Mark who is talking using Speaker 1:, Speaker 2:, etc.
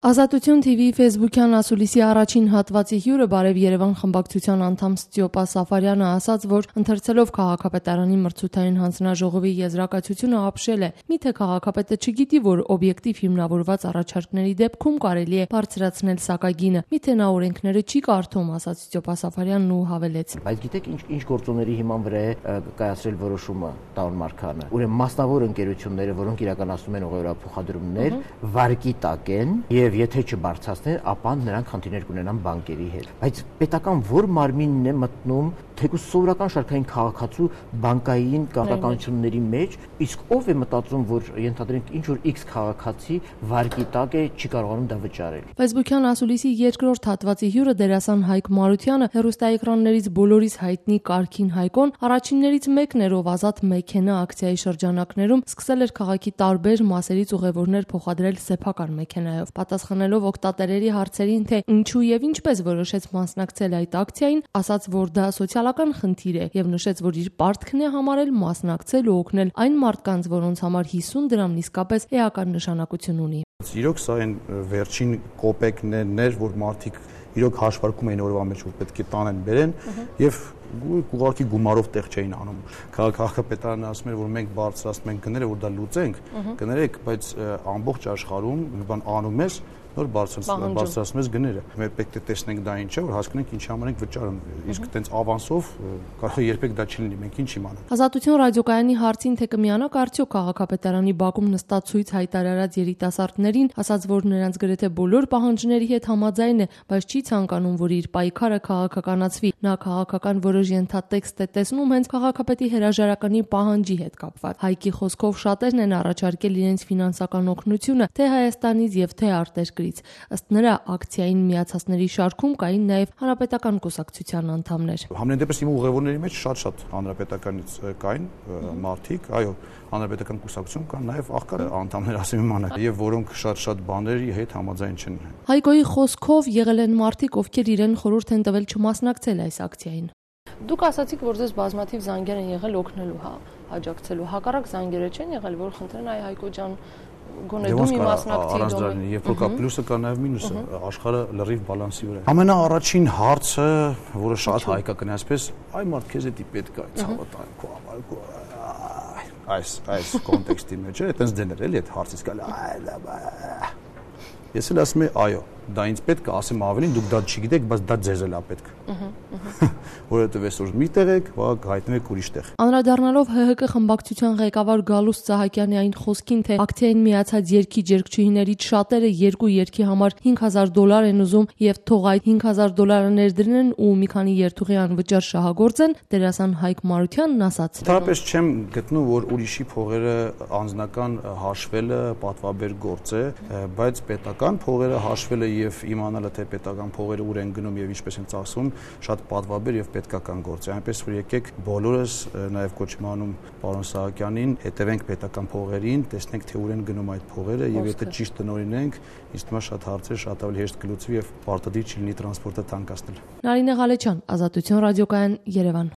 Speaker 1: Ազատություն TV Facebook-յան ասուլիսի առաջին հատվածի հյուրը Բարև Երևան խմբակցության անդամ Ստյոպա Սաֆարյանը ասաց, որ ընթերցելով քաղաքապետարանի մրցութային հանձնաժողովի եզրակացությունը ապշել է։ Միթե քաղաքապետը չգիտի, որ օբյեկտիվ հիմնավորված առաջարկների դեպքում կարելի է բարձրացնել սակագինը։ Միթե նա օրենքները չի կարդում, ասաց Ստյոպա Սաֆարյանն ու հավելեց.
Speaker 2: Բայց գիտեք ինչ գործոնների հիման վրա է կայացրել որոշումը Տարոն Մարգարյանը։ Ուրեմն մասնավոր ընկերությունները, որոնք իրականացնում են ուղղակի փոխադրումներ, վարկի տակ են եւ եթե չբարձրացնեն, ապա նրանք խնդիրներ կունենան բանկերի հետ։ Բայց պետական որ մարմինն է մտնում թեկուզ սովորական շարքային քաղաքացու բանկային կառավարությունների մեջ, իսկ ով է մտածում, որ ենթադրենք ինչ որ X քաղաքացի վարկի տակ է, չի կարողանում դա վճարել։
Speaker 1: Facebook-յան ասուլիսի երկրորդ հատվածի հյուրը դերասան Հայկ Մարությանը հեռուստաէկրաններից բոլորիս հայտնի Կարքին Հայկոն առաջիններից մեկն էր, ով ազատ մեքենա ակցիայի շրջանակներում սկսել էր քաղաքի տարբեր մասերից ուղևորներ փոխադրել սեփական մեքենայով։ Պատասխանելով օգտատերերի հարցերին, թե ինչու եւ ինչպես որոշեց մասնակցել այդ ակցիային, ասաց, որ դա սոցիալական խնդիր է եւ նշեց, որ իր պարտքն է համարել մասնակցել ու օգնել այն մարդկանց, որոնց համար 50 դրամն իսկապես էական նշանակություն ունի։
Speaker 3: Իրոք սա այն վերջին կոպեկներն էր, որ մարդիկ իրոք հաշվարկում էին օրվա մեջ, որ պետք է տանեն բերեն եւ ուղղակի գումարով տեղ չէին անում։ Քաղաքապետարանը ասում էր, որ մենք բարձրացնում ենք գները, որ դա լուծենք, կներեք, բայց ամբողջ աշխարհում մի բան անում ես, նոր բարձրացնում ես գները։ Մենք պետք է տեսնենք դա ինչ է, որ հասկանանք ինչի համար ենք վճարում։ Իսկ այտենց ավանսով կարող է երբեք դա չլինի, մենք ինչ իմանանք։
Speaker 1: Ազատություն ռադիոկայանի հարցին, թե կմիանաք արդյոք քաղաքապետարանի բակում նստածույց հայտարարած երիտասարդներին, ասաց, որ նրանց գրեթե բոլոր պահանջների հետ համաձայն է, բայց չի ցանկանում, որ իր պայքարը քաղաքականացվի։ Նա քաղաքական որոշ ենթատեքստ է տեսնում հենց քաղաքապետի հրաժարականի պահանջի հետ կապված։ Հայկի խոսքով շատերն են առաջարկել իրենց ֆինանսական օգնությունը թե Հայաստանից եւ թե արտերկրից։ Ըստ նրա, ակցիային միացածների շարքում կային նաեւ հանրապետական կուսակցության անդամներ։
Speaker 3: Համենայն դեպս իմ ուղևորների մեջ շատ հանրապետականից կային մարդիկ, այո, հանրապետական կուսակցություն կան նաեւ աղքատ անդամներ, ասեմ իմանալ, եւ որոնք շատ բաների հետ համաձայն չեն։
Speaker 1: Հայկոյի խոսքով եղել են մարդիկ, ովքեր իրեն խորհուրդ են տվել չմասնակցել այս ակցիային։ Դուք ասացիք, որ ձեզ բազմաթիվ զանգեր են եղել օգնելու, աջակցելու, հակառակ զանգերը չեն եղել, որ խնդրեն այ Հայկո ջան գոնե դու մի մասնակցի։
Speaker 3: Երբ որ կա պլյուսը, կա նաև մինուսը, աշխարհը լրիվ բալանսի վրա է։ Ամենաառաջին հարցը, որը շատ հայկական է, այսպես, այ մարդ քեզ էդի պետք է ցավատան քո ամալքո այս կոնտեքստի մեջ է, այտենց դեներ էլի այդ հարցից գալի։ Ես էլ ասում եմ, այո, դա ինձ պետք է, ասեմ ավելին, դուք դա չգիտեք, բայց դա ձեզ էլ է պետք։ Որովհետև այսօր մի տեղ եք, վաղ հայտնվեք ուրիշ տեղ։
Speaker 1: Անդրադառնալով ՀՀԿ խմբակցության ղեկավար Գալուստ Սահակյանի այն խոսքին, թե ակցիային միացած երգիչներից շատերը երկու երգի համար $5,000 են ուզում եւ թող այդ $5,000 ներդրեն ու մի քանի երթուղի անվճար շահագործեն, դերասան Հայկ Մարությանն ասաց.
Speaker 3: Ընդհանրապես չեմ գտնում, որ ուրիշի փողերը անձնական հաշվելը պատվաբեր գործ է, բայց պետական փողերը հաշվելը եւ իմանալը, թե պետական փողերը ուր են գնում եւ ինչպես են ծախսվում, շատ պատվաբեր եւ պետքական գործ է։ Այնպես որ եկեք բոլորս նաեւ կոչ եմ անում պարոն Սահակյանին, հետևենք պետական փողերին, տեսնենք թե ուր են գնում այդ փողերը եւ եթե ճիշտ տնօրինենք, ինձ թվում է շատ հարցեր շատ ավելի հեշտ կլուծվի եւ պարտադիր չի լինի տրանսպորտը թանկացնել։
Speaker 1: Նարինե Ղալեչյան, Ազատություն ռադիոկայան, Երևան։